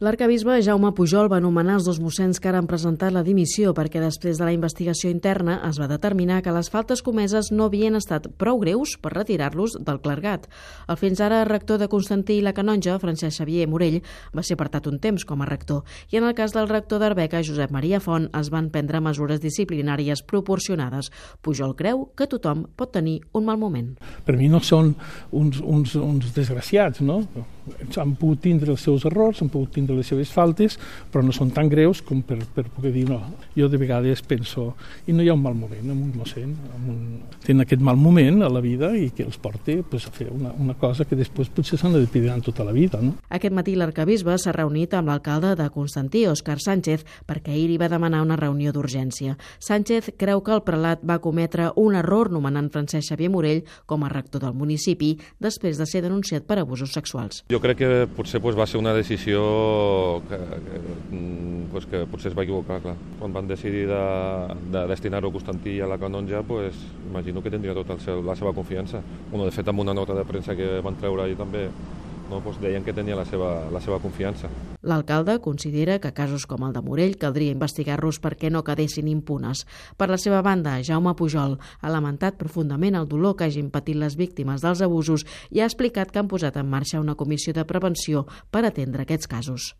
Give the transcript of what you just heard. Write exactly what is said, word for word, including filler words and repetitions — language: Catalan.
L'arquebisbe Jaume Pujol va nomenar els dos mossens que ara han presentat la dimissió perquè després de la investigació interna es va determinar que les faltes comeses no havien estat prou greus per retirar-los del clergat. El fins ara rector de Constantí i la Canonja, Francesc Xavier Morell, va ser apartat un temps com a rector i en el cas del rector d'Arbeca, Josep Maria Font, es van prendre mesures disciplinàries proporcionades. Pujol creu que tothom pot tenir un mal moment. Per mi no són uns, uns, uns desgraciats, no? Han pogut tindre els seus errors, han pogut tindre les seves faltes, però no són tan greus com per, per poder dir no. Jo de vegades penso, i no hi ha un mal moment amb un mossèn, amb un... tenen aquest mal moment a la vida i que els porta pues, a fer una, una cosa que després potser s'han de pedir tota la vida. No? Aquest matí l'arquebisbe s'ha reunit amb l'alcalde de Constantí, Òscar Sánchez, perquè ahir li va demanar una reunió d'urgència. Sánchez creu que el prelat va cometre un error nomenant Francesc Xavier Morell com a rector del municipi després de ser denunciat per abusos sexuals. Jo crec que potser pues, va ser una decisió que, que, pues, que potser es va equivocar, clar. Quan van decidir de, de destinar-ho a Constantí i a la Canonja, pues, imagino que tindria tota la seva confiança. Bueno, de fet, amb una nota de premsa que van treure ahir també, no, pues, deien que tenia la seva, la seva confiança. L'alcalde considera que casos com el de Morell caldria investigar-los perquè no quedessin impunes. Per la seva banda, Jaume Pujol ha lamentat profundament el dolor que hagin patit les víctimes dels abusos i ha explicat que han posat en marxa una comissió de prevenció per atendre aquests casos.